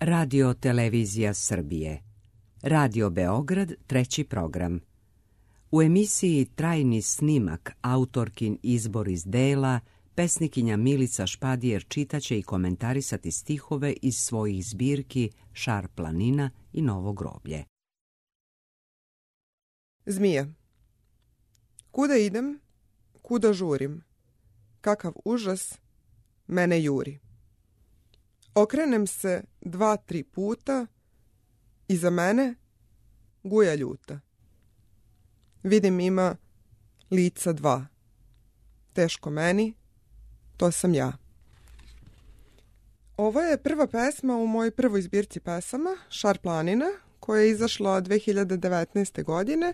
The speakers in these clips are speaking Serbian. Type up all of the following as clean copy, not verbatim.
Radio Televizija Srbije. Radio Beograd, 3. program. U emisiji Trajni snimak, autorkin izbor iz dela, pesnikinja Milica Špadijer čitaće i komentarisati stihove iz svojih zbirki Šar planina i Novo groblje. Zmija. Kuda idem, kuda žurim, kakav užas mene juri. Okrenem se 2-3 puta, iza mene guja ljuta. Vidim ima lica 2. Teško meni, to sam ja. Ovo je prva pesma u mojoj prvoj zbirci pesama, Šar planina, koja je izašla 2019. godine,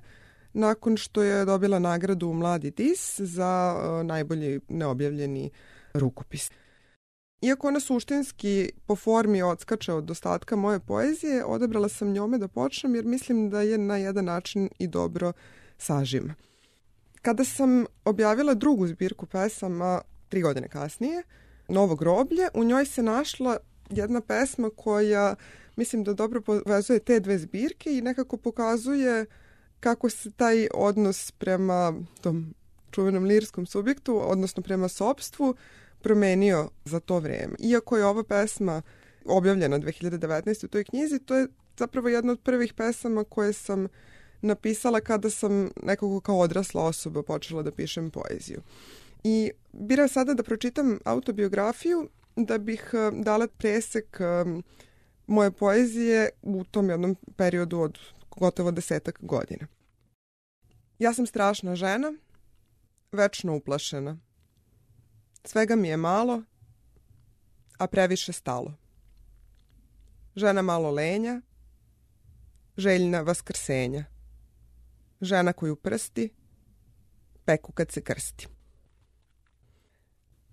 nakon što je dobila nagradu Mladi dis za najbolji neobjavljeni rukopis. Iako ona suštinski po formi odskače od ostatka moje poezije, odabrala sam njome da počnem jer mislim da je na jedan način i dobro sažima. Kada sam objavila drugu zbirku pesama 3 godine kasnije, Novo groblje, u njoj se našla jedna pesma koja mislim da dobro povezuje te dve zbirke i nekako pokazuje kako se taj odnos prema tom čuvenom lirskom subjektu, odnosno prema sopstvu, promenio za to vreme. Iako je ova pesma objavljena 2019. u toj knjizi, to je zapravo jedna od prvih pesama koje sam napisala kada sam nekako kao odrasla osoba počela da pišem poeziju. I birao sada da pročitam autobiografiju da bih dala presek moje poezije u tom jednom periodu od gotovo 10 godina. Ja sam strašna žena, večno uplašena. Svega mi je malo, a previše stalo. Žena malo lenja, željna vaskrsenja. Žena koju prsti, peku kad se krsti.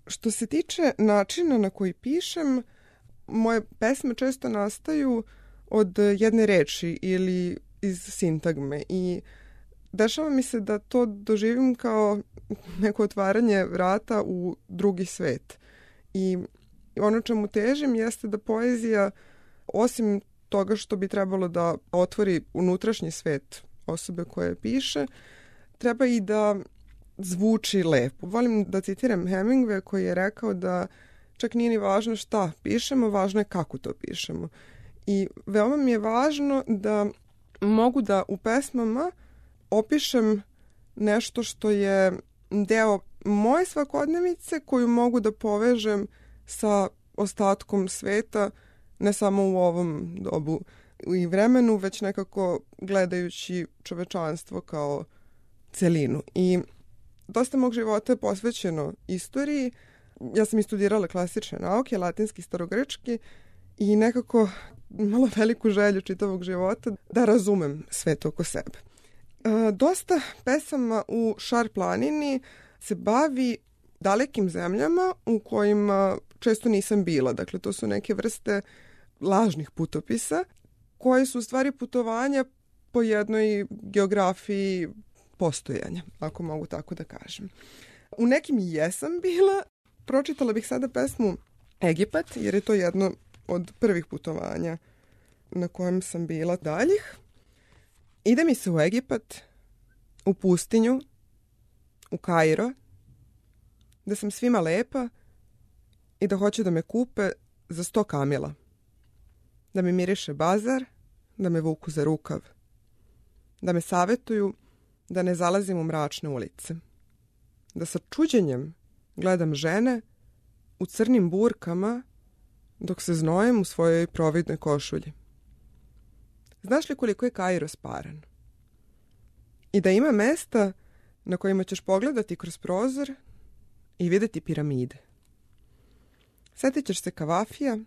Što se tiče načina na koji pišem, moje pesme često nastaju od jedne reči ili iz sintagme i dešava mi se da to doživim kao neko otvaranje vrata u drugi svet. I ono čemu težim jeste da poezija, osim toga što bi trebalo da otvori unutrašnji svet osobe koje piše, treba i da zvuči lepo. Volim da citiram Hemingway koji je rekao da čak nije ni važno šta pišemo, važno je kako to pišemo. I veoma mi je važno da mogu da u pesmama opišem nešto što je deo moje svakodnevice koju mogu da povežem sa ostatkom sveta, ne samo u ovom dobu i vremenu, već nekako gledajući čovečanstvo kao celinu. I dosta mog života je posvećeno istoriji. Ja sam i studirala klasične nauke, latinski, starogrčki i nekako imala veliku želju čitavog života da razumem svet oko sebe. Dosta pesama u Šar planini se bavi dalekim zemljama u kojima često nisam bila. Dakle, to su neke vrste lažnih putopisa koje su u stvari putovanja po jednoj geografiji postojanja, ako mogu tako da kažem. U nekim jesam bila. Pročitala bih sada pesmu Egipat, jer je to jedno od prvih putovanja na kojem sam bila daljih. Ide mi se u Egipat, u pustinju, u Kairo, da sam svima lepa i da hoće da me kupe za 100 kamila. Da mi miriše bazar, da me vuku za rukav. Da me savetuju da ne zalazim u mračne ulice. Da sa čuđenjem gledam žene u crnim burkama dok se znojem u svojoj providnoj košulji. Znaš li koliko je Kairo sparan? I da ima mesta na kojima ćeš pogledati kroz prozor i vidjeti piramide. Sjetit ćeš se Kavafija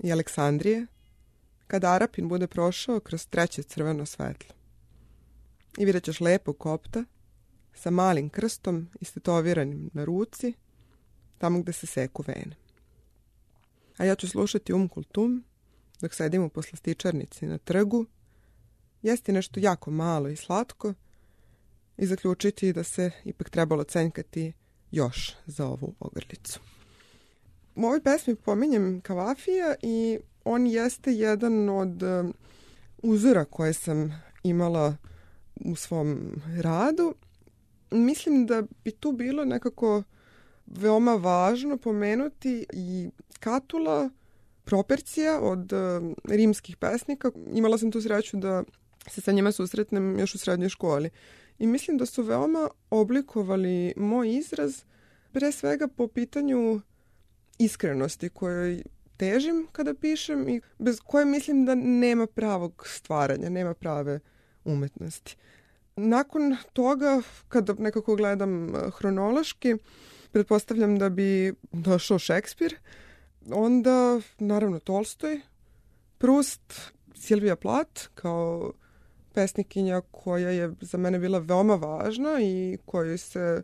i Aleksandrije kada Arapin bude prošao kroz 3. crveno svetlo. I vidjet ćeš lepog kopta sa malim krstom istetoviranim na ruci, tamo gde se seku vene. A ja ću slušati Kultum dok sedim u poslastičarnici na trgu, jesti nešto jako malo i slatko i zaključiti da se ipak trebalo cenjkati još za ovu ogrlicu. U ovoj pesmi pominjem Kavafija i on jeste jedan od uzora koje sam imala u svom radu. Mislim da bi tu bilo nekako veoma važno pomenuti i Catula, Propercija od rimskih pesnika. Imala sam tu sreću da se sa njima susretnem još u srednjoj školi. I mislim da su veoma oblikovali moj izraz, pre svega po pitanju iskrenosti kojoj težim kada pišem i bez koje mislim da nema pravog stvaranja, nema prave umetnosti. Nakon toga, kada nekako gledam hronološki, pretpostavljam da bi došao Šekspir, onda naravno Tolstoj, Proust, Silvija Plath kao pesnikinja koja je za mene bila veoma važna i koju se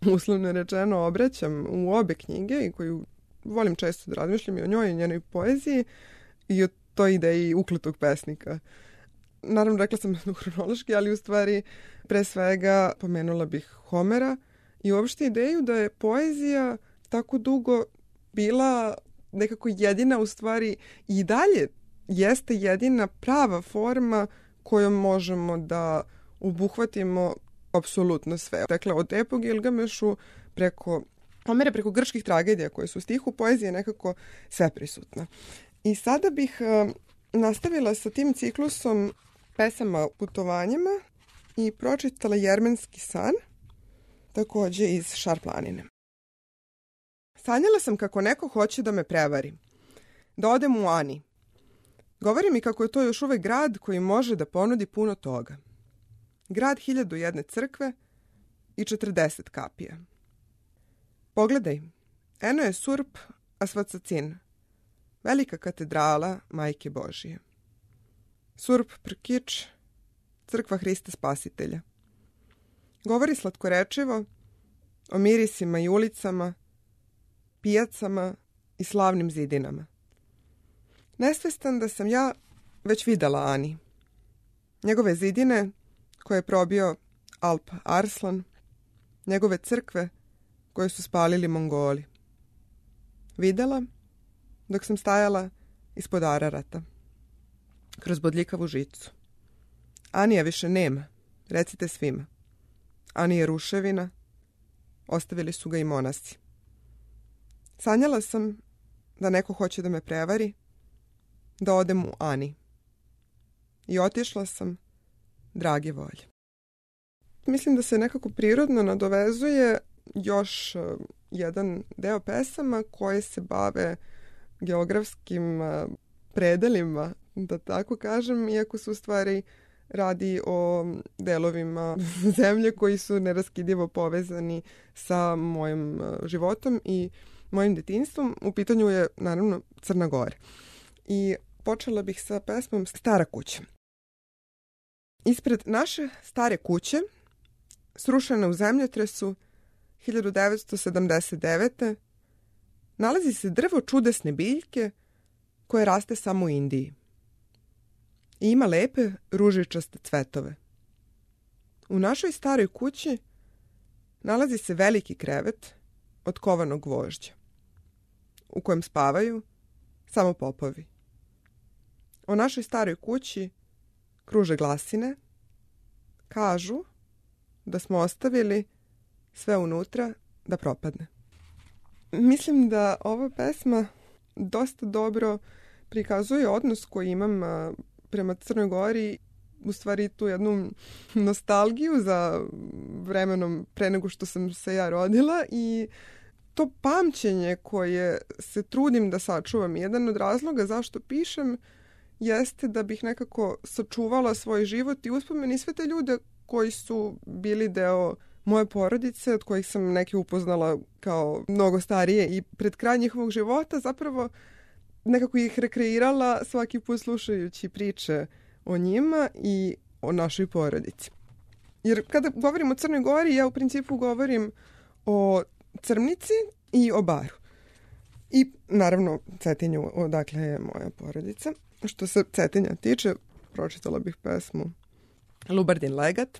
uslovno rečeno obraćam u obe knjige i koju volim često da razmišljam i o njoj i njenoj poeziji i o toj ideji ukletog pesnika. Naravno, rekla sam hronološki, ali u stvari pre svega pomenula bih Homera i uopšte ideju da je poezija tako dugo bila nekako jedina, u stvari i dalje jeste jedina prava forma kojom možemo da obuhvatimo apsolutno sve. Dakle, od epoge Gilgamešu preko Homera, preko grčkih tragedija koje su u stihu, poezija je nekako sve prisutna. I sada bih nastavila sa tim ciklusom pesama putovanjima i pročitala Jermenski san, takođe iz Šar-planine. Sanjala sam kako neko hoće da me prevari, da odem u Ani. Govori mi kako je to još uvek grad koji može da ponudi puno toga. Grad 1001 crkve i 40 kapija. Pogledaj, eno je Surp Asvacacin, velika katedrala Majke Božije. Surp Prkić, crkva Hrista Spasitelja. Govori slatkorečivo o mirisima i ulicama, pijacama i slavnim zidinama. Nesvestan da sam ja već videla Ani. Njegove zidine koje je probio Alp Arslan, njegove crkve koje su spalili Mongoli. Videla dok sam stajala ispod Ararata, kroz bodljikavu žicu. Anija više nema, recite svima. Ani je ruševina, ostavili su ga i monasi. Sanjala sam da neko hoće da me prevari, da odem u Ani. I otišla sam, drage volje. Mislim da se nekako prirodno nadovezuje još jedan deo pesama koje se bave geografskim predelima, da tako kažem, iako su u stvari radi o delovima zemlje koji su neraskidivo povezani sa mojim životom i mojim detinjstvom. U pitanju je, naravno, Crna Gora. I počela bih sa pesmom Stara kuća. Ispred naše stare kuće, srušene u zemljotresu 1979. nalazi se drvo čudesne biljke koje raste samo u Indiji. I ima lepe ružičaste cvetove. U našoj staroj kući nalazi se veliki krevet od kovanog gvožđa, u kojem spavaju samo popovi. O našoj staroj kući kruže glasine, kažu da smo ostavili sve unutra da propadne. Mislim da ova pesma dosta dobro prikazuje odnos koji imam prema Crnoj Gori, u stvari tu jednu nostalgiju za vremenom pre nego što sam se ja rodila i to pamćenje koje se trudim da sačuvam. Jedan od razloga zašto pišem jeste da bih nekako sačuvala svoj život i uspomeni i sve te ljude koji su bili deo moje porodice, od kojih sam neke upoznala kao mnogo starije i pred kraj njihovog života, zapravo nekako ih rekreirala svaki put slušajući priče o njima i o našoj porodici. Jer kada govorim o Crnoj Gori, ja u principu govorim o Crmnici i o Baru. I naravno Cetinju, odakle je moja porodica. Što se Cetinja tiče, pročitala bih pesmu Lubardin Legat.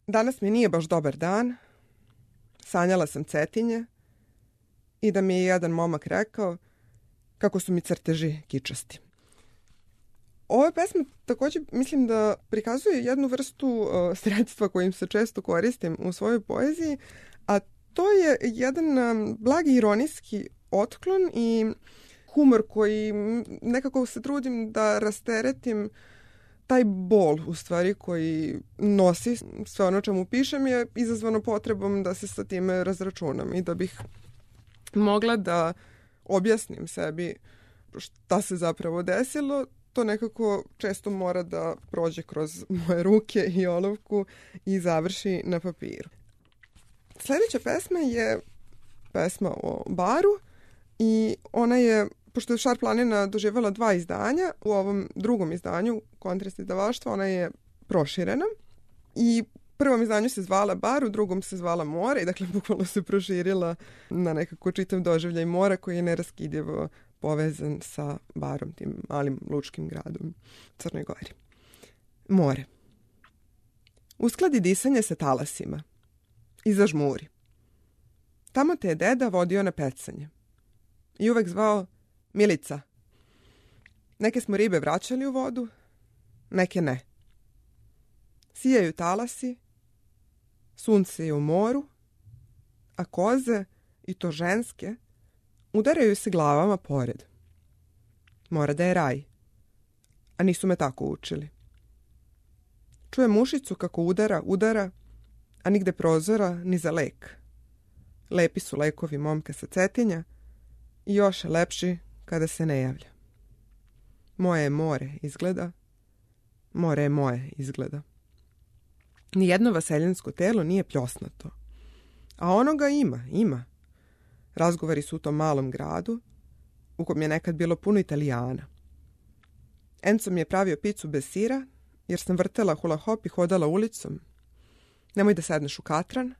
Danas mi nije baš dobar dan. Sanjala sam Cetinje i da mi je jedan momak rekao: kako su mi crteži kičasti. Ova pesma također mislim da prikazuje jednu vrstu sredstva kojim se često koristim u svojoj poeziji, a to je jedan blagi ironijski otklon i humor koji nekako se trudim da rasteretim taj bol u stvari koji nosi sve ono čemu pišem je izazvano potrebom da se sa time razračunam i da bih mogla da objasnim sebi šta se zapravo desilo. To nekako često mora da prođe kroz moje ruke i olovku i završi na papiru. Sljedeća pesma je pesma o baru i ona je, pošto je Šar planina doživjela 2 izdanja, u ovom drugom izdanju, Kontrast izdavaštva, ona je proširena i u prvom izdanju se zvala Bar, u drugom se zvala More i dakle bukvalno se proširila na nekako čitav doživljaj mora koji je neraskidivo povezan sa Barom, tim malim lučkim gradom u Crnoj Gori. More. Uskladi disanje sa talasima i zažmuri. Tamo te je deda vodio na pecanje i uvek zvao Milica. Neke smo ribe vraćali u vodu, neke ne. Sijaju talasi, sunce je u moru, a koze, i to ženske, udaraju se glavama pored. Mora da je raj, a nisu me tako učili. Čuje mušicu kako udara, a nigde prozora ni za lek. Lepi su lekovi momka sa Cetinja i još lepši kada se ne javlja. Moje je more izgleda, more je moje izgleda. Nijedno vaseljansko telo nije pljosnato, a onoga ima. Razgovori su u tom malom gradu, u kom je nekad bilo puno Italijana. Enzo mi je pravio picu bez sira, jer sam vrtela hula hop i hodala ulicom. Nemoj da sedneš u katran.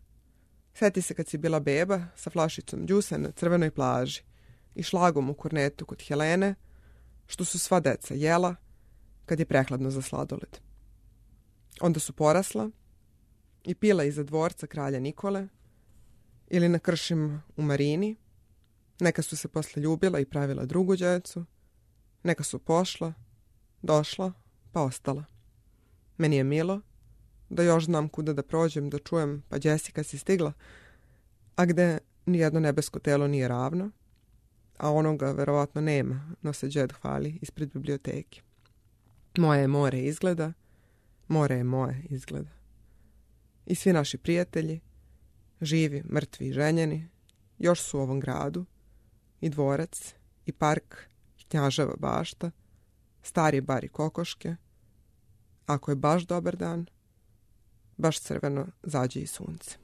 Sjeti se kad si bila beba sa flašicom džusa na crvenoj plaži i šlagom u kornetu kod Helene, što su sva deca jela kad je prehladno za sladoled. Onda su porasla i pila iza dvorca kralja Nikole ili na kršima u Marini. Neka su se posle ljubila i pravila drugu djecu. Neka su pošla, došla, pa ostala. Meni je milo da još znam kuda da prođem, da čujem, pa Jessica si stigla, a gde nijedno nebesko telo nije ravno, a onoga verovatno nema, no se džed hvali ispred biblioteke. Moje je more izgleda, more je moje izgleda. I svi naši prijatelji, živi, mrtvi i ženjeni, još su u ovom gradu, i dvorac, i park, i Knjaževa bašta, stari bar i kokoške. Ako je baš dobar dan, baš crveno zađe i sunce.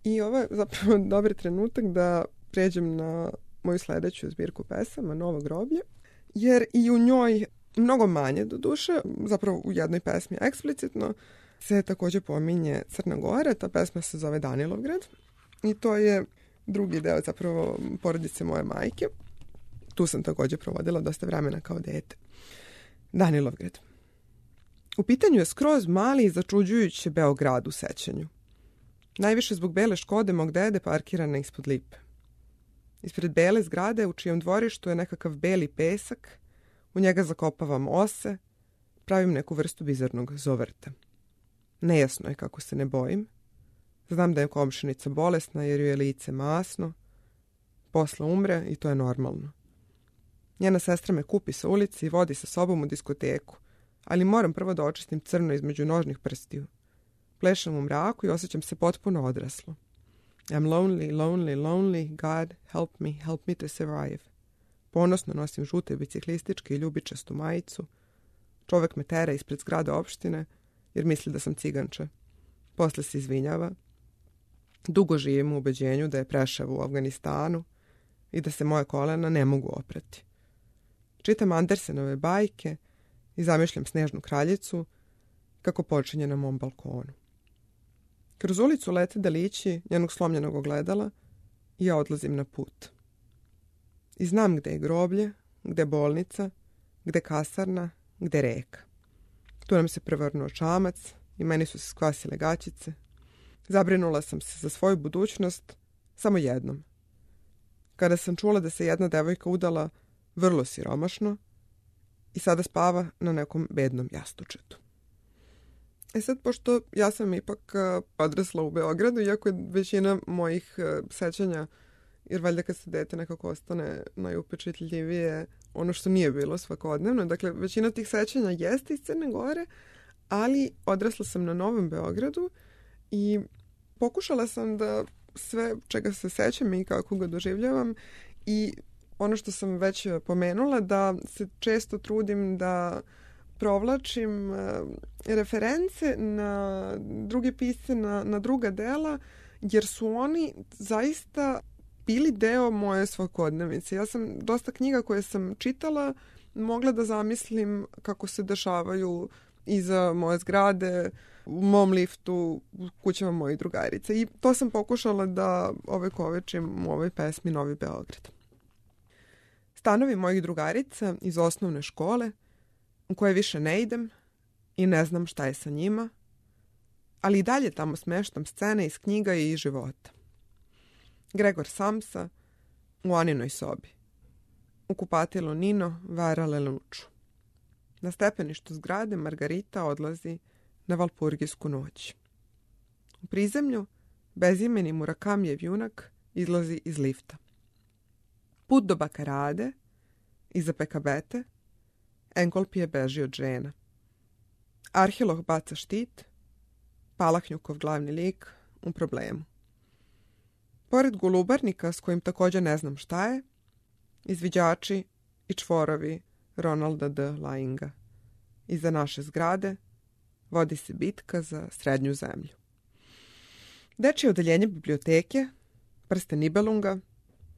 I ovo je zapravo dobar trenutak da pređem na moju sljedeću zbirku pesama, Novo groblje, jer i u njoj mnogo manje do duše, zapravo u jednoj pesmi eksplicitno, se također pominje Crna Gora. Ta pesma se zove Danilovgrad i to je drugi deo zapravo porodice moje majke. Tu sam također provodila dosta vremena kao dete. Danilovgrad. U pitanju je skroz mali i začuđujući Beograd u sećanju. Najviše zbog bele Škode mog dede parkirana ispod lipe. Ispred bele zgrade u čijem dvorištu je nekakav beli pesak, u njega zakopavam ose, pravim neku vrstu bizarnog zovrta. Nejasno je kako se ne bojim. Znam da je komšinica bolesna jer ju je lice masno. Posle umre i to je normalno. Njena sestra me kupi sa ulici i vodi sa sobom u diskoteku, ali moram prvo da očistim crno između nožnih prstiju. Plešam u mraku i osjećam se potpuno odraslo. I'm lonely, lonely, lonely. God, help me to survive. Ponosno nosim žute biciklističke i ljubičastu majicu. Čovek me tera ispred zgrade opštine jer misli da sam ciganče. Posle se izvinjava. Dugo živim u ubeđenju da je Preševo u Afganistanu i da se moje kolena ne mogu oprati. Čitam Andersenove bajke i zamišljam Snežnu kraljicu kako počinje na mom balkonu. Kroz ulicu lete delići njenog slomljenog ogledala i ja odlazim na put. I znam gde je groblje, gde bolnica, gde kasarna, gde reka. Tu nam se prevrnuo čamac i meni su se skvasile gaćice. Zabrinula sam se za svoju budućnost samo jednom. kada sam čula da se jedna devojka udala vrlo siromašno i sada spava na nekom bednom jastučetu. Sad, pošto ja sam ipak odrasla u Beogradu, iako je većina mojih sećanja, jer valjda kad se dete nekako ostane najupečetljivije ono što nije bilo svakodnevno, dakle većina tih sećanja jeste iz Crne Gore, ali odrasla sam na Novom Beogradu i pokušala sam da sve čega se sećam i kako ga doživljavam i ono što sam već pomenula, da se često trudim da provlačim reference na druge pisce, na druga dela, jer su oni zaista bili deo moje svakodnevice. Ja sam dosta knjiga koje sam čitala mogla da zamislim kako se dešavaju iza moje zgrade, u mom liftu, u kućama mojih drugarica. I to sam pokušala da ovekovečim u ovoj pesmi Novi Beograd. Stanovi mojih drugarica iz osnovne škole, u koje više ne idem i ne znam šta je sa njima, ali i dalje tamo smeštam scene iz knjiga i iz života. Gregor Samsa u Aninoj sobi. U kupatilu Nino vara leluču. Na stepeništu zgrade Margarita odlazi na valpurgijsku noć. U prizemlju bezimeni Murakamjev junak izlazi iz lifta. Put do Bakarade, iza Pekabete, Enkolpije beži od žena. Arheolog baca štit, Palahnjukov glavni lik u problemu. Pored golubarnika, s kojim također ne znam šta je, izviđači i čvorovi Ronalda D. Lainga. Iza naše zgrade vodi se bitka za srednju zemlju. Dečje odeljenje biblioteke, Prsten Nibelunga,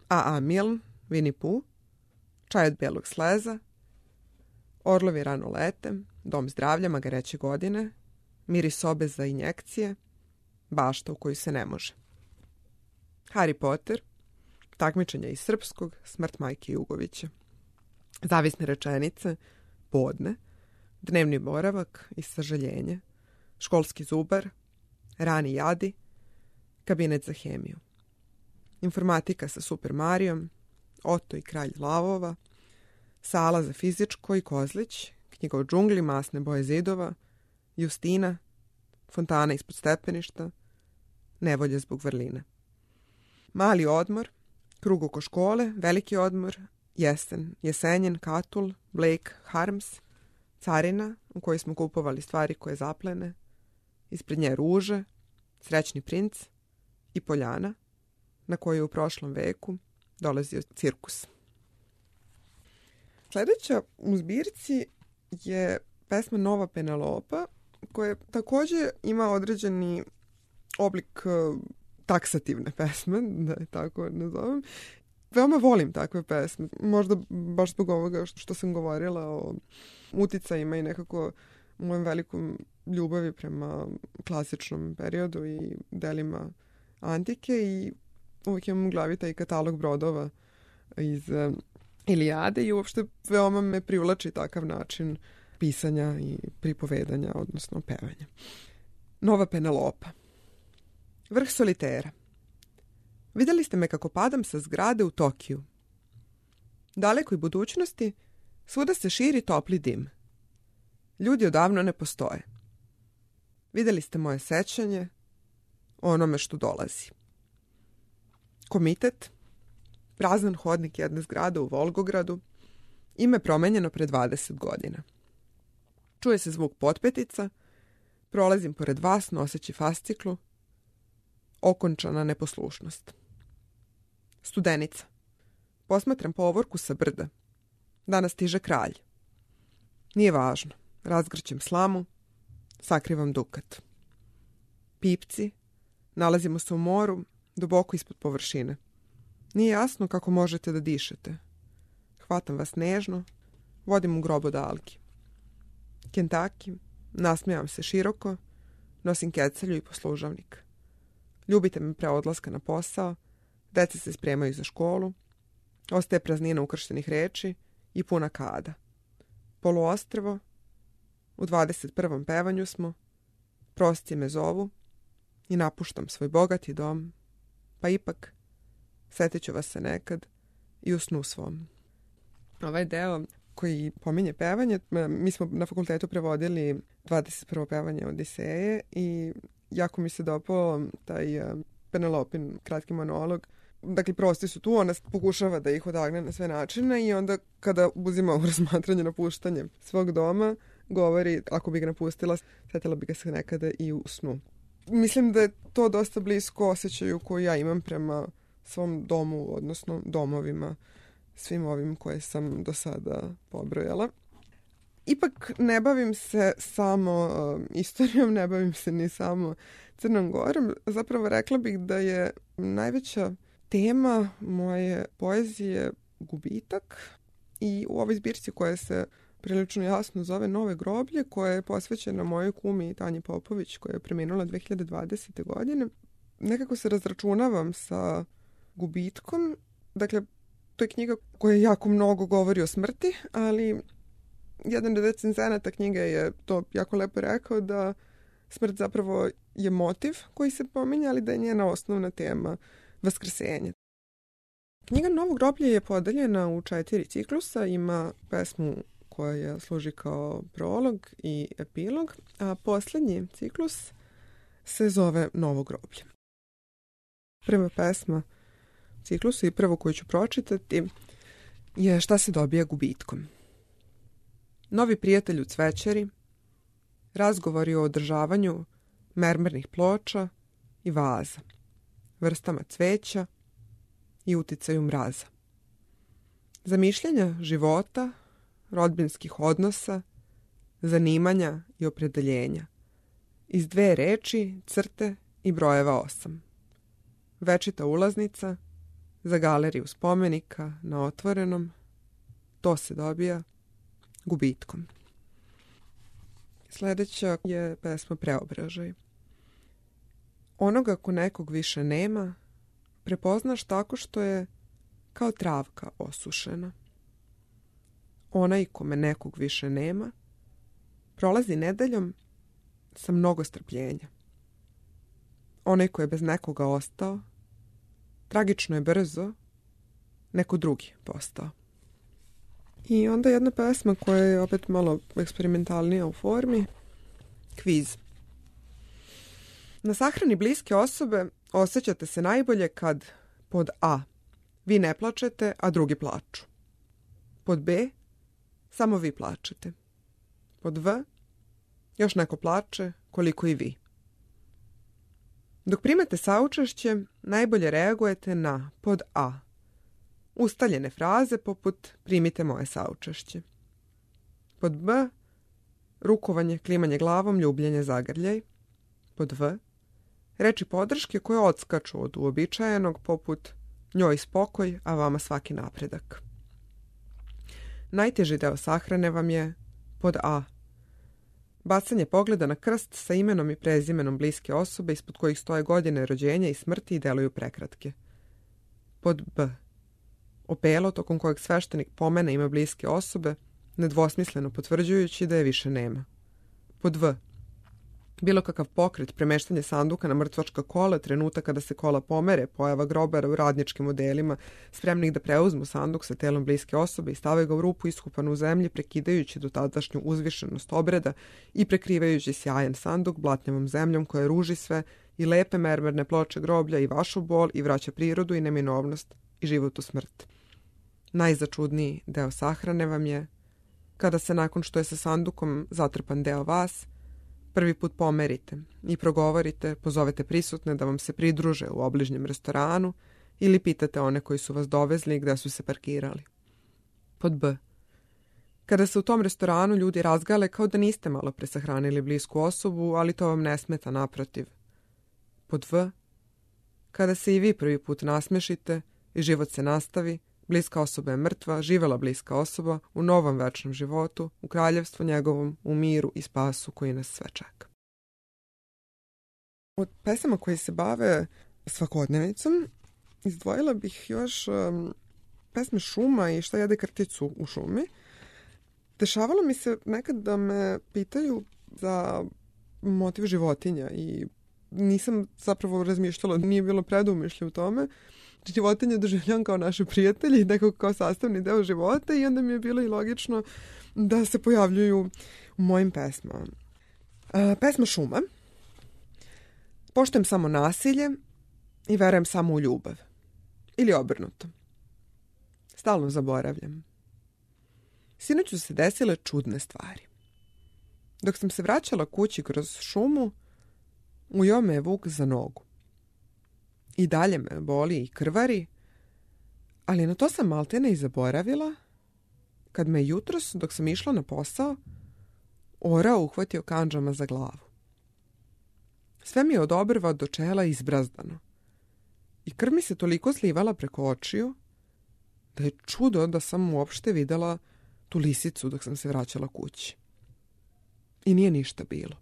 A.A. Milne, Winnie Pooh, Čaj od belog sleza, Orlovi rano lete, Dom zdravlja magareće godine, Miris sobe za injekcije, Bašta u koju se ne može. Harry Potter, Takmičenja iz srpskog, Smrt majke Jugovića. Zavisne rečenice, Podne, Dnevni boravak i sažaljenje, Školski zubar, Rani jadi, Kabinet za hemiju. Informatika sa Super Marijom, Oto i kralj lavova, Sala za fizičko i Kozlić, Knjiga o džungli, Masne boje zidova, Justina, Fontana ispod stepeništa, Nevolje zbog vrline. Mali odmor, Krug oko škole, Veliki odmor, Jesen, Jesenjen, Katul, Blake, Harms, Carina, u kojoj smo kupovali stvari koje zaplene, ispred nje ruže, Srećni princ i Poljana, na kojoj je u prošlom veku dolazio cirkus. Sljedeća u zbirci je pesma Nova Penelopa, koja također ima određeni oblik taksativne pesme, da je tako nazovem. Veoma volim takve pesme, možda baš zbog ovoga što sam govorila o uticajima i nekako mojem velikom ljubavi prema klasičnom periodu i delima antike i uvijek imam u glavi taj katalog brodova iz Ilijade i uopšte veoma me privlači takav način pisanja i pripovedanja, odnosno pevanja. Nova Penelopa. Vrh solitera. Vidjeli ste me kako padam sa zgrade u Tokiju. Dalekoj budućnosti svuda se širi topli dim. Ljudi odavno ne postoje. Vidjeli ste moje sećanje o onome što dolazi. Komitet, prazan hodnik jedne zgrade u Volgogradu, ime promenjeno pre 20 godina. Čuje se zvuk potpetica, prolazim pored vas noseći fasciklu, okončana neposlušnost. Studenica. Posmatram povorku sa brda. Danas stiže kralj. Nije važno. Razgrćem slamu, sakrivam dukat. Pipci. Nalazimo se u moru, duboko ispod površine. Nije jasno kako možete da dišete. Hvatam vas nežno, vodim u grob od algi. Kentaki, nasmijam se široko, nosim kecelju i poslužavnik. Ljubite me pre odlaska na posao, deca se spremaju za školu, ostaje praznina ukrštenih reči i puna kada. Poluostrvo, u 21. pevanju smo, prosci me zovu i napuštam svoj bogati dom, pa ipak setit ću vas se nekad i u snu svom. Ovaj deo koji pominje pevanje, mi smo na fakultetu prevodili 21. pevanje Odiseje i jako mi se dopao taj Penelopin kratki monolog. Dakle, prosti su tu, ona pokušava da ih odagne na sve načine i onda kada uzima u razmatranje napuštanje svog doma, govori, ako bi ga napustila, sjetila bi ga se nekada i u snu. Mislim da je to dosta blisko osjećaju koji ja imam prema svom domu, odnosno domovima, svim ovim koje sam do sada pobrojala. Ipak ne bavim se samo istorijom, ne bavim se ni samo Crnom Gorom. Zapravo rekla bih da je najveća tema moje poezije gubitak i u ovoj zbirci koja se prilično jasno zove Nove groblje, koja je posvećena mojoj kumi Tanji Popović, koja je preminula 2020. godine. Nekako se razračunavam sa gubitkom. Dakle, to je knjiga koja jako mnogo govori o smrti, ali jedan od recenzenata knjige je to jako lepo rekao da smrt zapravo je motiv koji se pominje, ali da je njena osnovna tema vaskrsenje. Knjiga Novo groblje je podeljena u 4 ciklusa, ima pesmu koja služi kao prolog i epilog, a posljednji ciklus se zove Novo groblje. Prva pesma u ciklusu i prvo koju ću pročitati je Šta se dobija gubitkom. Novi prijatelj u cvećeri, razgovori o održavanju mermernih ploča i vaza, vrstama cveća i uticaju mraza. Zamišljanja života, rodbinskih odnosa, zanimanja i opredeljenja. Iz 2 reči, crte i brojeva 8. Večita ulaznica za galeriju spomenika na otvorenom. To se dobija gubitkom. Sljedeća je pesma Preobražaj. Onoga ko nekog više nema, prepoznaš tako što je kao travka osušena. Onaj kome nekog više nema, prolazi nedeljom sa mnogo strpljenja. Onaj ko je bez nekoga ostao, tragično je brzo neko drugi postao. I onda jedna pesma koja je opet malo eksperimentalnija u formi. Kviz. Na sahrani bliske osobe osjećate se najbolje kad pod A. Vi ne plačete, a drugi plaču. Pod B. Samo vi plačete. Pod V. Još neko plače koliko i vi. Dok primate saučešće, najbolje reagujete na pod A. Ustaljene fraze poput primite moje saučešće. Pod B. Rukovanje, klimanje glavom, ljubljenje, zagrljaj. Pod V. Reči podrške koje odskaču od uobičajenog poput njoj spokoj, a vama svaki napredak. Najteži deo sahrane vam je pod A. Bacanje pogleda na krst sa imenom i prezimenom bliske osobe ispod kojih stoje godine rođenja i smrti i deluju prekratke. Pod B. Opelo tokom kojeg sveštenik pomene ime bliske osobe, nedvosmisleno potvrđujući da je više nema. Pod V. Bilo kakav pokret, premeštanje sanduka na mrtvačka kola, trenutak kada se kola pomere, pojava grobara u radničkim modelima, spremnih da preuzmu sanduk sa telom bliske osobe i stave ga u rupu iskupanu u zemlji, prekidajući do tadašnju uzvišenost obreda i prekrivajući sjajan sanduk blatnjavom zemljom koja ruži sve i lepe mermerne ploče groblja i vašu bol i vraća prirodu i neminovnost i život u smrt. Najzačudniji deo sahrane vam je kada se nakon što je sa sandukom zatrpan deo vas, prvi put pomerite i progovorite, pozovete prisutne da vam se pridruže u obližnjem restoranu ili pitate one koji su vas dovezli gde su se parkirali. Pod B. Kada se u tom restoranu ljudi razgale kao da niste malo presahranili blisku osobu, ali to vam ne smeta, naprotiv. Pod V. Kada se i vi prvi put nasmešite i život se nastavi, bliska osoba je mrtva, živela bliska osoba u novom večnom životu, u kraljevstvu njegovom, u miru i spasu koji nas sve čeka. Od pesama koje se bave svakodnevnicom izdvojila bih još pesme Šuma i Šta jede krticu u šumi. Dešavalo mi se nekad da me pitaju za motiv životinja i nisam zapravo razmišljala, nije bilo predumišlje u tome. životinje doživljavam kao naše prijatelji, nekako kao sastavni deo života i onda mi je bilo i logično da se pojavljuju u mojim pesmama. Pesma Šuma. Poštujem samo nasilje i verujem samo u ljubav. Ili obrnuto. Stalno zaboravljam. Sinoć su se desile čudne stvari. Dok sam se vraćala kući kroz šumu, ujeo me je vuk za nogu. I dalje me boli i krvari, ali na to sam maltene i zaboravila, kad me jutros, dok sam išla na posao, orao uhvatio kandžama za glavu. Sve mi je od obrva do čela izbrazdano. I krv mi se toliko slivala preko očiju, da je čudo da sam uopšte videla tu lisicu dok sam se vraćala kući. I nije ništa bilo.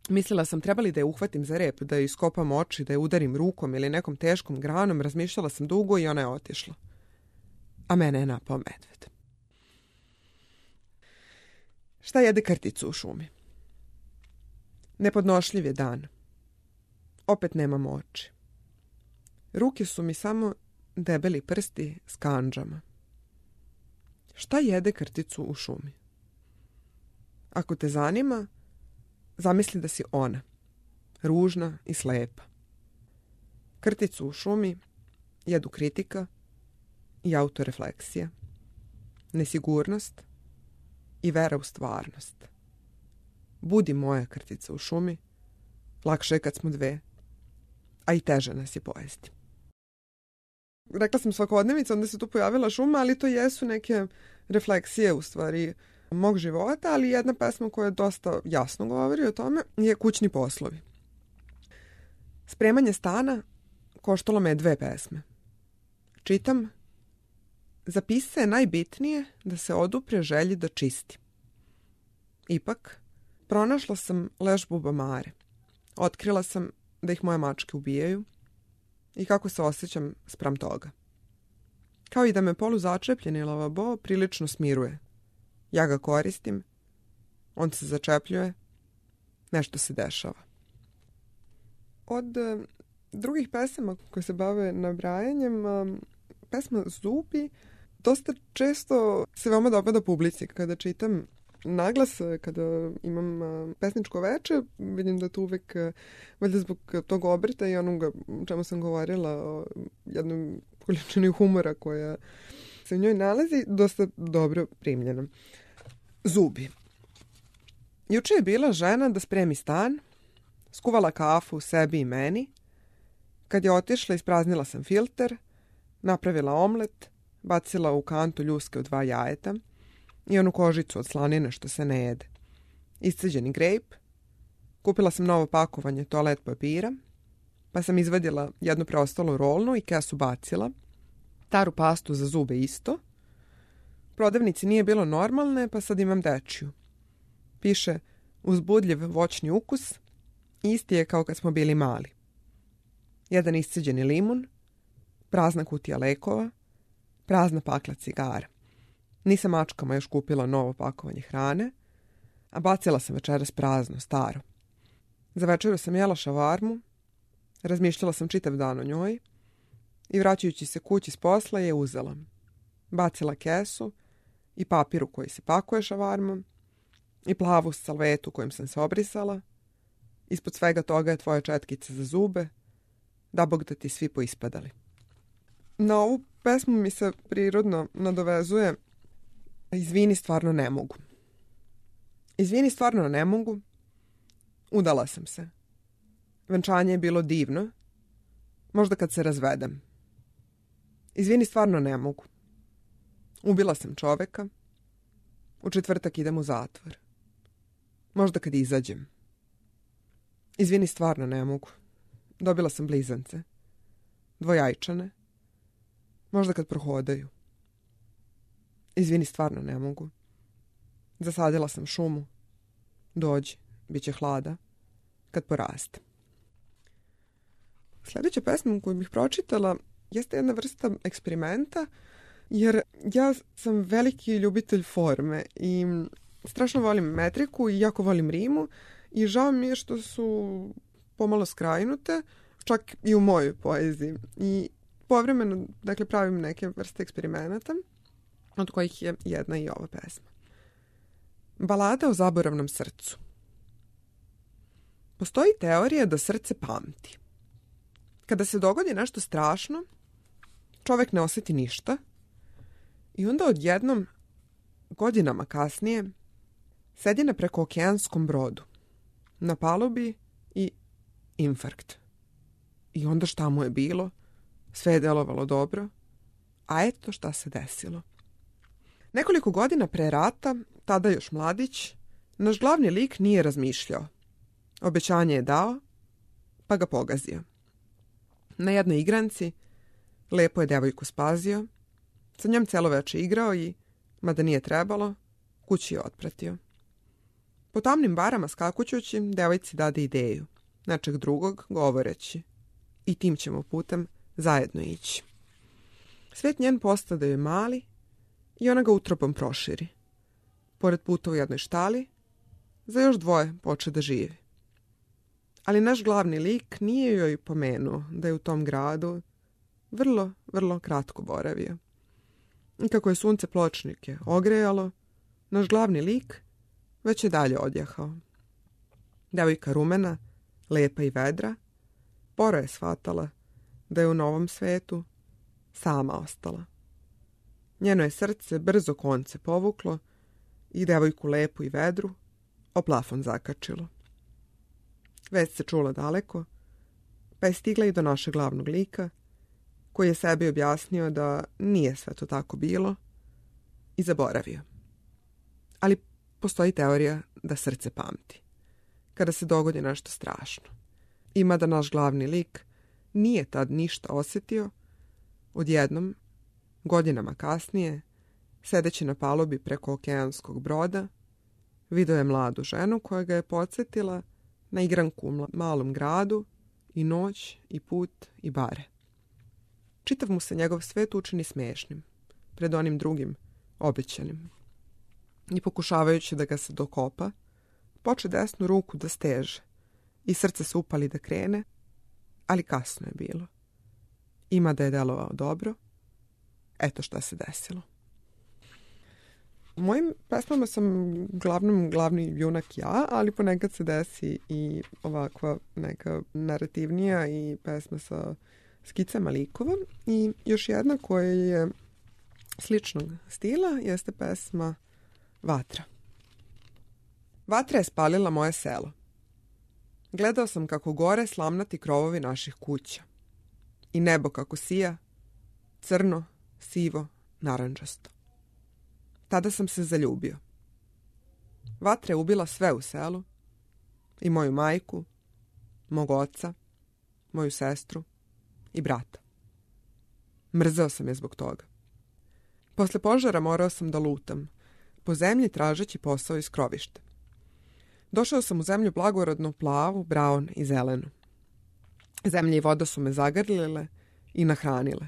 Mislila sam trebali da je uhvatim za rep, da je iskopam oči, da je udarim rukom ili nekom teškom granom, razmišljala sam dugo i ona je otišla. A mene je napao medved. Šta jede krticu u šumi? Nepodnošljiv je dan. Opet nemam oči. Ruke su mi samo debeli prsti s kandžama. Šta jede krticu u šumi? Ako te zanima, zamisli da si ona, ružna i slepa. Krticu u šumi jedu kritika i autorefleksija, nesigurnost i vera u stvarnost. Budi moja krtica u šumi, lakše je kad smo dve, a i teže nas je pojesti. Rekla sam svakodnevica, onda se tu pojavila šuma, ali to jesu neke refleksije u stvari mog života, ali jedna pesma koja dosta jasno govori o tome je Kućni poslovi. Spremanje stana koštalo me 2 pesme. Čitam: za pisca je najbitnije da se odupre želji da čisti. Ipak, pronašla sam leš bubamare. Otkrila sam da ih moje mačke ubijaju i kako se osjećam spram toga. Kao i da me poluzačepljeni lavabo prilično smiruje. Ja ga koristim, on se začepljuje, nešto se dešava. Od drugih pesama koje se bave nabrajanjem, pesma Zubi dosta često se veoma dopada publici. Kada čitam naglas, kada imam pesničko veče, vidim da to uvek, valjda zbog tog obrta i onoga čemu sam govorila o jednom količini humora koja se u njoj nalazi, dosta dobro primljena. Zubi. Juče je bila žena da spremi stan, skuvala kafu sebi i meni. Kad je otišla, ispraznila sam filter, napravila omlet, bacila u kantu ljuske od 2 jajeta i onu kožicu od slanine što se ne jede. Isceđeni grejp, kupila sam novo pakovanje toalet papira, pa sam izvadila jednu preostalu rolnu i kesu bacila, staru pastu za zube isto. Prodavnici nije bilo normalne, pa sad imam dečju. Piše uzbudljiv voćni ukus, isti je kao kad smo bili mali. Jedan isceđeni limun, prazna kutija lekova, prazna pakla cigara. Nisam mačkama još kupila novo pakovanje hrane, a bacila sam večeras prazno, staro. Za večeru sam jela šavarmu, razmišljala sam čitav dan o njoj i vraćajući se kući s posla je uzela. Bacila kesu i papir u koji se pakuje šavarmom i plavu salvetu kojom sam se obrisala. Ispod svega toga je tvoja četkica za zube, da Bog da ti svi poispadali. Na ovu pesmu mi se prirodno nadovezuje izvini, stvarno ne mogu. Izvini, stvarno ne mogu. Udala sam se. Venčanje je bilo divno. Možda kad se razvedem. Izvini, stvarno ne mogu. Ubila sam čoveka. U četvrtak idem u zatvor. Možda kad izađem. Izvini, stvarno ne mogu. Dobila sam blizance. Dvojajčane. Možda kad prohodaju. Izvini, stvarno ne mogu. Zasadila sam šumu. Dođi, bit će hlada. Kad poraste. Sljedeća pesma koju bih pročitala jeste jedna vrsta eksperimenta, jer ja sam veliki ljubitelj forme i strašno volim metriku i jako volim rimu i žao mi je što su pomalo skrajnute, čak i u mojoj poeziji. I povremeno, dakle, pravim neke vrste eksperimenata, od kojih je jedna i ova pesma. Balada o zaboravnom srcu. Postoji teorija da srce pamti. Kada se dogodi nešto strašno, čovek ne osjeti ništa i onda odjednom, godinama kasnije, sedi na prekookeanskom brodu, na palubi i infarkt. I onda šta mu je bilo? Sve je delovalo dobro, a eto šta se desilo. Nekoliko godina pre rata, tada još mladić, naš glavni lik nije razmišljao. Obećanje je dao, pa ga pogazio. Na jednoj igranci lepo je devojku spazio, sa njom celo veče igrao i, mada nije trebalo, kući je otpratio. Po tamnim barama skakućući, devojci dade ideju, nečeg drugog govoreći. I tim ćemo putem zajedno ići. Svet njen postade je mali i ona ga utropom proširi. Pored puta u jednoj štali, za još dvoje poče da živi. Ali naš glavni lik nije joj pomenuo da je u tom gradu vrlo, vrlo kratko boravio. I kako je sunce pločnike ogrejalo, naš glavni lik već je dalje odjahao. Devojka rumena, lepa i vedra, sporo je shvatala da je u novom svetu sama ostala. Njeno je srce brzo konce povuklo i devojku lepu i vedru o plafon zakačilo. Vest se čula daleko, pa je stigla i do našeg glavnog lika, koji je sebi objasnio da nije sve to tako bilo i zaboravio. Ali postoji teorija da srce pamti, kada se dogodi nešto strašno. Ima da naš glavni lik nije tad ništa osjetio, odjednom, godinama kasnije, sedeći na palubi preko okeanskog broda, video je mladu ženu koja ga je podsjetila na igranku u malom gradu i noć i put i bare. Čitav mu se njegov svet učini smiješnim, pred onim drugim, obećanim. I pokušavajući da ga se dokopa, poče desnu ruku da steže i srce se upali da krene, ali kasno je bilo. Ima da je delovao dobro, eto šta se desilo. U mojim pesmama sam glavni junak ja, ali ponekad se desi i ovakva neka narativnija i pesma sa skicama likova. I još jedna koja je sličnog stila jeste pesma Vatra. Vatra je spalila moje selo. Gledao sam kako gore slamnati krovovi naših kuća. I nebo kako sija, crno, sivo, narandžasto. Tada sam se zaljubio. Vatra je ubila sve u selu, i moju majku, mog oca, moju sestru i brata. Mrzeo sam je zbog toga. Posle požara morao sam da lutam, po zemlji tražeći posao iz krovišta. Došao sam u zemlju blagorodnu, plavu, braun i zelenu. Zemlja i voda su me zagrlile i nahranile.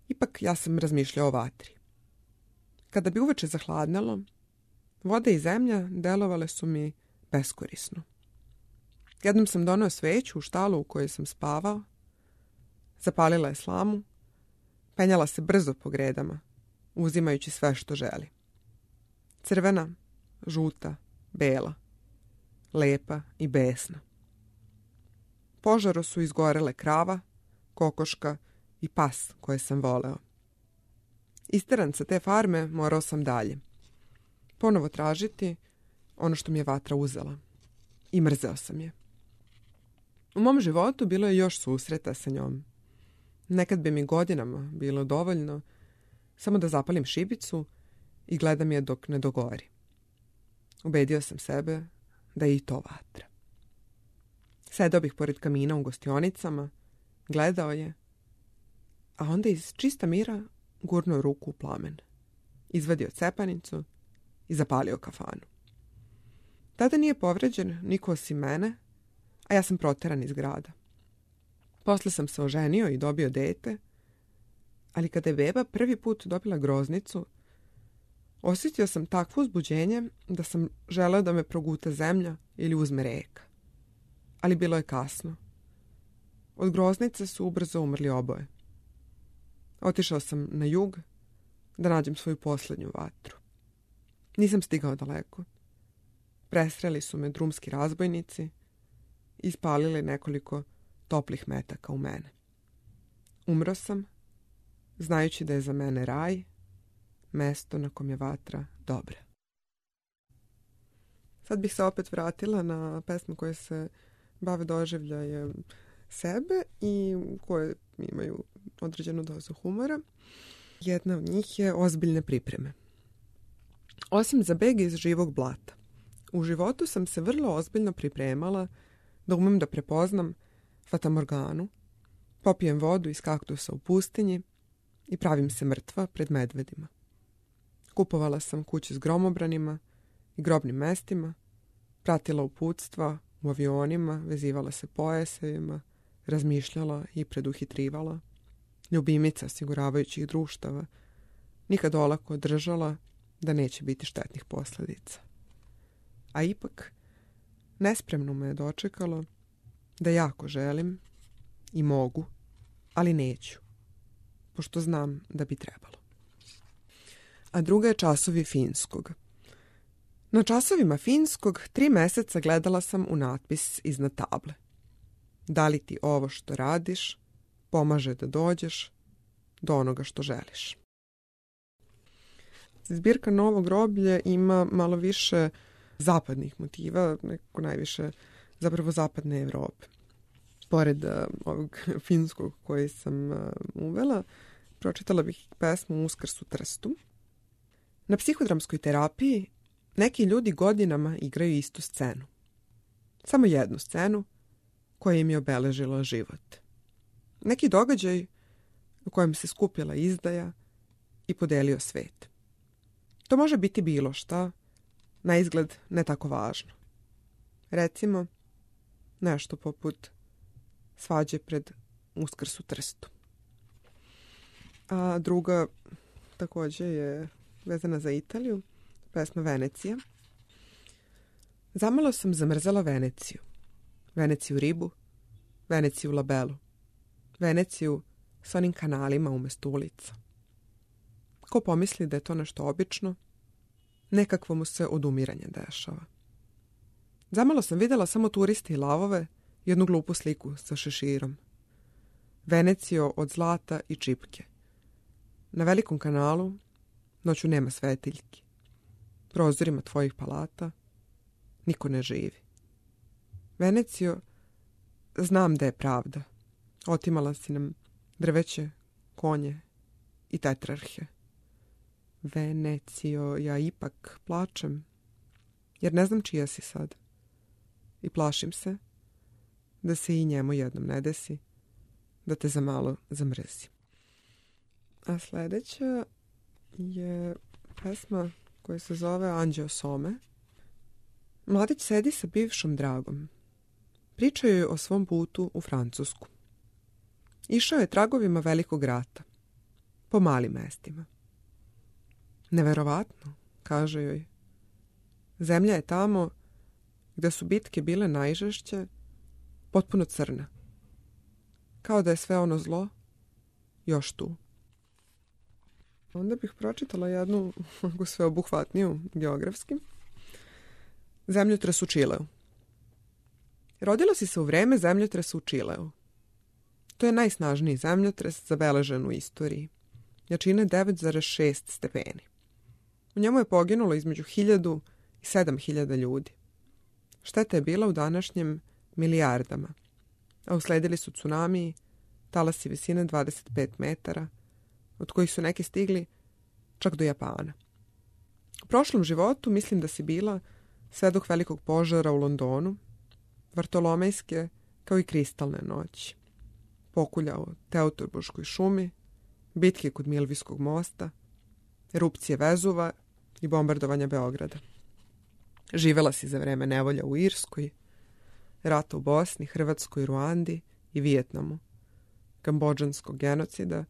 Ipak ja sam razmišljao o vatri. Kada bi uveče zahladnelo, voda i zemlja delovale su mi beskorisno. Jednom sam doneo sveću u štalu u kojoj sam spavao, zapalila je slamu, penjala se brzo po gredama, uzimajući sve što želi. Crvena, žuta, bela, lepa i besna. Požaru su izgorele krava, kokoška i pas koje sam voleo. Isteran sa te farme morao sam dalje. Ponovo tražiti ono što mi je vatra uzela. I mrzeo sam je. U mom životu bilo je još susreta sa njom. Nekad bi mi godinama bilo dovoljno samo da zapalim šibicu i gledam je dok ne dogori. Ubedio sam sebe da je i to vatra. Sedao bih pored kamina u gostionicama, gledao je, a onda iz čista mira gurnuo ruku u plamen, izvadio cepanicu i zapalio kafanu. Tada nije povređen niko osim mene, a ja sam proteran iz grada. Posle sam se oženio i dobio dete, ali kada je beba prvi put dobila groznicu, osjetio sam takvo uzbuđenje da sam želeo da me proguta zemlja ili uzme reka. Ali bilo je kasno. Od groznice su ubrzo umrli oboje. Otišao sam na jug da nađem svoju posljednju vatru. Nisam stigao daleko. Presreli su me drumski razbojnici i ispalili nekoliko toplih metaka u mene. Umro sam, znajući da je za mene raj, mesto na kom je vatra dobra. Sad bih se opet vratila na pesme koje se bave doživljajem sebe i koje imaju određenu dozu humora. Jedna od njih je Ozbiljne pripreme. Osim za beg iz živog blata, u životu sam se vrlo ozbiljno pripremala da umem da prepoznam fatamorganu, popijem vodu iz kaktusa u pustinji i pravim se mrtva pred medvedima. Kupovala sam kuće s gromobranima i grobnim mestima, pratila uputstva u avionima, vezivala se pojasevima, razmišljala i preduhitrivala, ljubimica osiguravajućih društava, nikad olako držala da neće biti štetnih posljedica. A ipak, nespremno me je dočekalo da jako želim i mogu, ali neću, pošto znam da bi trebalo. A druga je Časovi finskog. Na časovima finskog 3 meseca gledala sam u natpis iznad table. Da li ti ovo što radiš pomaže da dođeš do onoga što želiš? Zbirka Novo groblje ima malo više zapadnih motiva, nekako najviše zapravo zapadne Evrope. Pored ovog finskog koji sam uvela, pročitala bih pesmu Uskrs u Trstu. Na psihodramskoj terapiji neki ljudi godinama igraju istu scenu. Samo jednu scenu koja im je obeležila život. Neki događaj u kojem se skupila izdaja i podelio svet. To može biti bilo šta, na izgled ne tako važno. Recimo, nešto poput svađe pred Uskrs u Trstu. A druga također je vezana za Italiju, pesma Venecija. Zamalo sam zamrzela Veneciju. Veneciju ribu, Veneciju labelu, Veneciju s onim kanalima umjesto ulica. Ko pomisli da je to nešto obično, nekakvo mu se odumiranje dešava. Zamalo sam vidjela samo turiste i lavove, jednu glupu sliku sa šeširom. Venecijo od zlata i čipke. Na velikom kanalu noću nema svetiljki. Prozorima tvojih palata niko ne živi. Venecijo, znam da je pravda. Otimala si nam drveće, konje i tetrarhe. Venecijo, ja ipak plačem, jer ne znam čija si sad. I plašim se da se i njemu jednom ne desi, da te za malo zamrzi. A sljedeća je pesma koja se zove Anđeo Some. Mladić sedi sa bivšom dragom. Pričaju joj o svom putu u Francusku. Išao je tragovima velikog rata, po malim mestima. Neverovatno, kaže joj. Zemlja je tamo gde su bitke bile najžešće, potpuno crna. Kao da je sve ono zlo još tu. Onda bih pročitala jednu sveobuhvatniju geografski. Zemljotres u Čileu. Rodila si se u vreme zemljotresa u Čileu. To je najsnažniji zemljotres zabeležen u istoriji. Jačine 9,6 stepeni. U njemu je poginulo između 1000 i 7000 ljudi. Šteta je bila u današnjem milijardama, a usledili su tsunamiji, talasi visine 25 metara, od kojih su neki stigli čak do Japana. U prošlom životu mislim da si bila svedok velikog požara u Londonu, Vartolomejske kao i kristalne noći, pokulja u Teutoburškoj šumi, bitke kod Milvijskog mosta, erupcije Vezuva i bombardovanja Beograda. Živela si za vreme nevolja u Irskoj, rata u Bosni, Hrvatskoj, Ruandi i Vijetnamu, kambodžanskog genocida,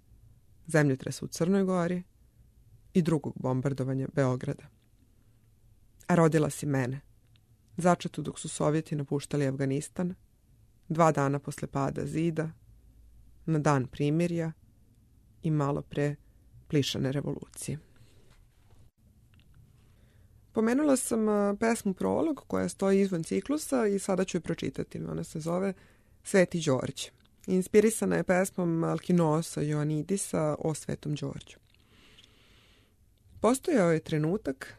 zemljotresa u Crnoj Gori i drugog bombardovanja Beograda. A rodila si mene, začetu dok su Sovjeti napuštali Afganistan, 2 dana posle pada zida, na dan primirja i malo pre plišane revolucije. Pomenula sam pesmu Prolog koja stoji izvan ciklusa i sada ću je pročitati. Ona se zove Sveti Đorđe. Inspirisana je pesmom Alkinosa Ioannidisa o Svetom Đorđu. Postojao je trenutak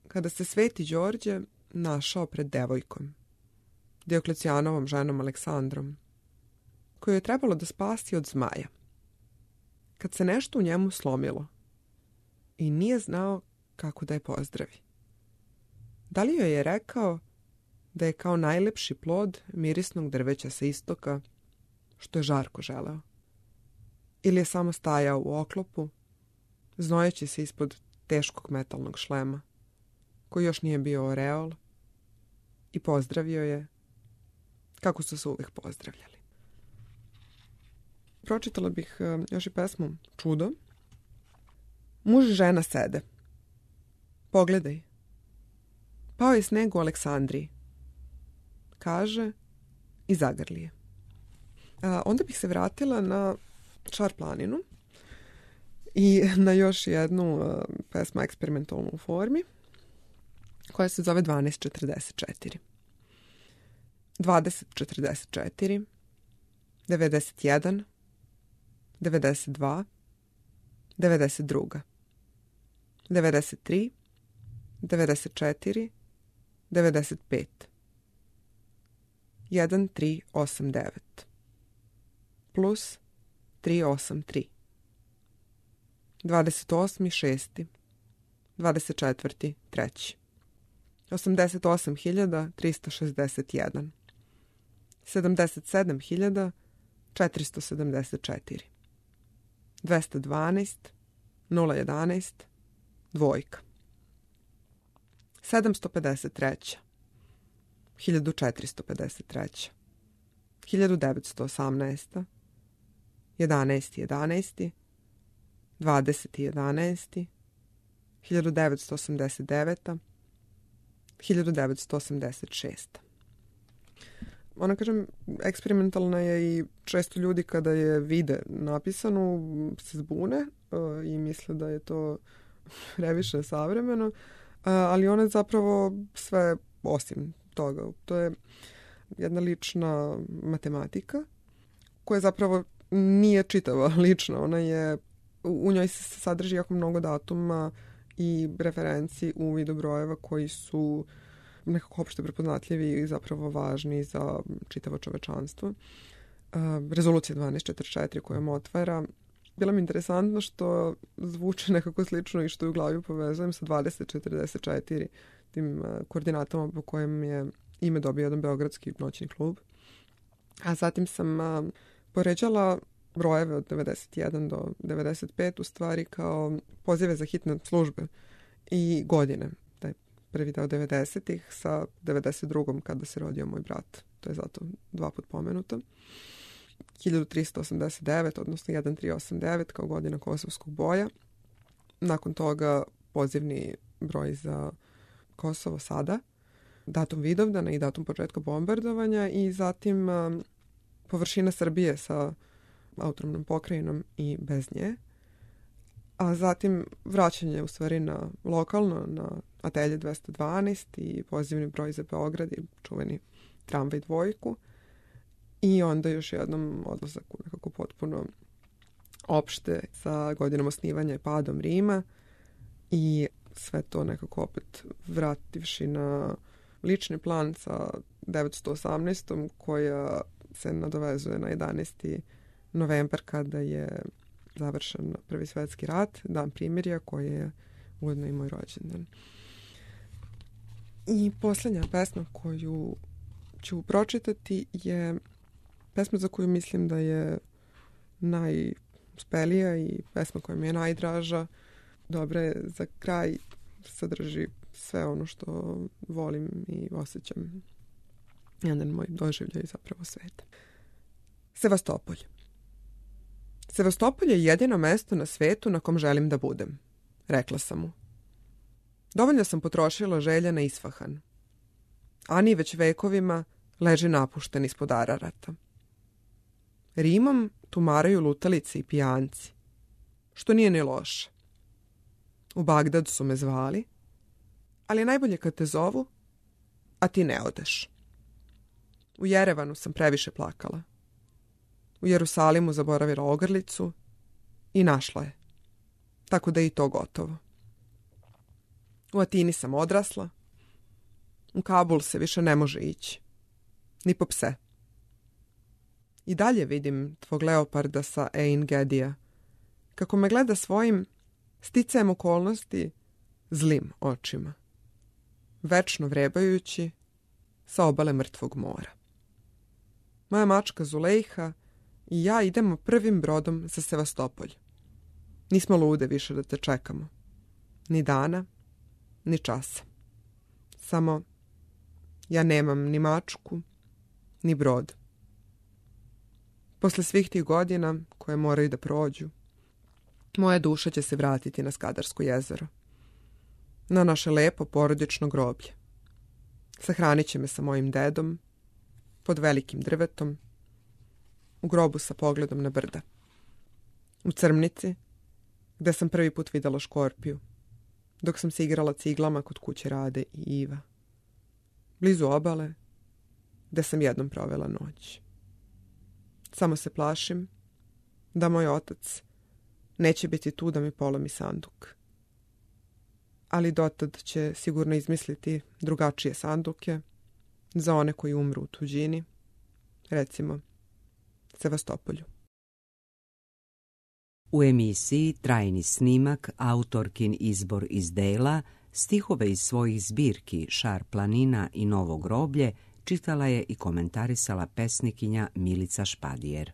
kada se Sveti Đorđe našao pred devojkom, Dioklecijanovom ženom Aleksandrom, koju je trebalo da spasi od zmaja. Kad se nešto u njemu slomilo i nije znao kako da je pozdravi. Da li joj je rekao da je kao najlepši plod mirisnog drveća sa istoka, što je žarko želeo? Ili je samo stajao u oklopu, znojeći se ispod teškog metalnog šlema, koji još nije bio oreol, i pozdravio je kako su se uvijek pozdravljali. Pročitala bih još i pesmu Čudo. Muž i žena sede. Pogledaj. Pao je sneg u Aleksandriji. Kaže i zagrli je. Onda bih se vratila na Čar planinu i na još jednu pesmu eksperimentalnu u formi koja se zove 1244. 2044, 91, 92, 92, 93, 94, 95, 1389, plus 383, 28.6., 24.3., 88.361, 77.474, 212, 011, dvojka, 753, 1453, 1918, 11.11, 20.11, 1989, 1986. Ona, kažem, eksperimentalna je i često ljudi kada je vide napisanu se zbune i misle da je to previše savremeno, ali ona je zapravo sve osim toga. To je jedna lična matematika koja zapravo nije čitava lična. Ona je, u njoj se sadrži jako mnogo datuma i referenci u vidu brojeva koji su nekako opšte prepoznatljivi i zapravo važni za čitavo čovečanstvo. Rezolucija 1244 kojom otvara. Bilo mi interesantno što zvuči nekako slično i što u glavi povezujem sa 2044, tim koordinatama po kojem je ime dobio jedan beogradski noćni klub. A zatim sam poređala brojeve od 91 do 95 u stvari kao pozive za hitne službe i godine. Taj prvi deo 90-ih sa 92. kada se rodio moj brat. To je zato 2 put pomenuto. 1389, odnosno 1389 kao godina Kosovskog boja. Nakon toga pozivni broj za Kosovo sada, datum Vidovdana i datum početka bombardovanja i zatim površina Srbije sa autonomnom pokrajinom i bez nje. A zatim vraćanje u stvari na lokalno, na Atelje 212 i pozivni broj za Beograd i čuveni tramvaj dvojku. I onda još jednom odlazak u nekako potpuno opšte sa godinom osnivanja i padom Rima i sve to nekako opet vrativši na lični plan sa 918. koja se nadovezuje na 11. novembar kada je završen Prvi svjetski rat, dan primirja koji je ujedno i moj rođendan. I posljednja pesma koju ću pročitati je pesma za koju mislim da je najuspelija i pesma koja mi je najdraža. Dobra je za kraj, sadrži sve ono što volim i osjećam. Jedan moj doživljaj zapravo sveta. Sevastopolj. Sevastopolj je jedino mesto na svetu na kom želim da budem, rekla sam mu. Dovoljno sam potrošila želja na Isfahan. Ani već vekovima leži napušten ispod Ararata. Rimom tumaraju lutalice i pijanci, što nije ni loše. U Bagdad su me zvali, ali najbolje kad te zovu, a ti ne odeš. U Jerevanu sam previše plakala. U Jerusalimu zaboravila ogrlicu i našla je, tako da je i to gotovo. U Atini sam odrasla, u Kabul se više ne može ići, ni po pse. I dalje vidim tvog leoparda sa Ein Gedija, kako me gleda svojim, sticajem okolnosti, zlim očima, večno vrebajući sa obale mrtvog mora. Moja mačka Zulejha i ja idemo prvim brodom za Sevastopolj. Nismo lude više da te čekamo. Ni dana, ni časa. Samo ja nemam ni mačku, ni brod. Posle svih tih godina koje moraju da prođu, moja duša će se vratiti na Skadarsko jezero, na naše lepo porodično groblje. Sahranit će me sa mojim dedom, pod velikim drvetom, u grobu sa pogledom na brda. U Crmnici, gde sam prvi put videla škorpiju, dok sam se igrala ciglama kod kuće Rade i Iva. Blizu obale, gde sam jednom provela noć. Samo se plašim da moj otac neće biti tu da mi polomi sanduk. Ali dotad će sigurno izmisliti drugačije sanduke za one koji umru u tuđini, recimo Sevastopolju. U emisiji Trajni snimak autorkin izbor iz dela, stihove iz svojih zbirki Šar planina i Novo groblje čitala je i komentarisala pesnikinja Milica Špadijer.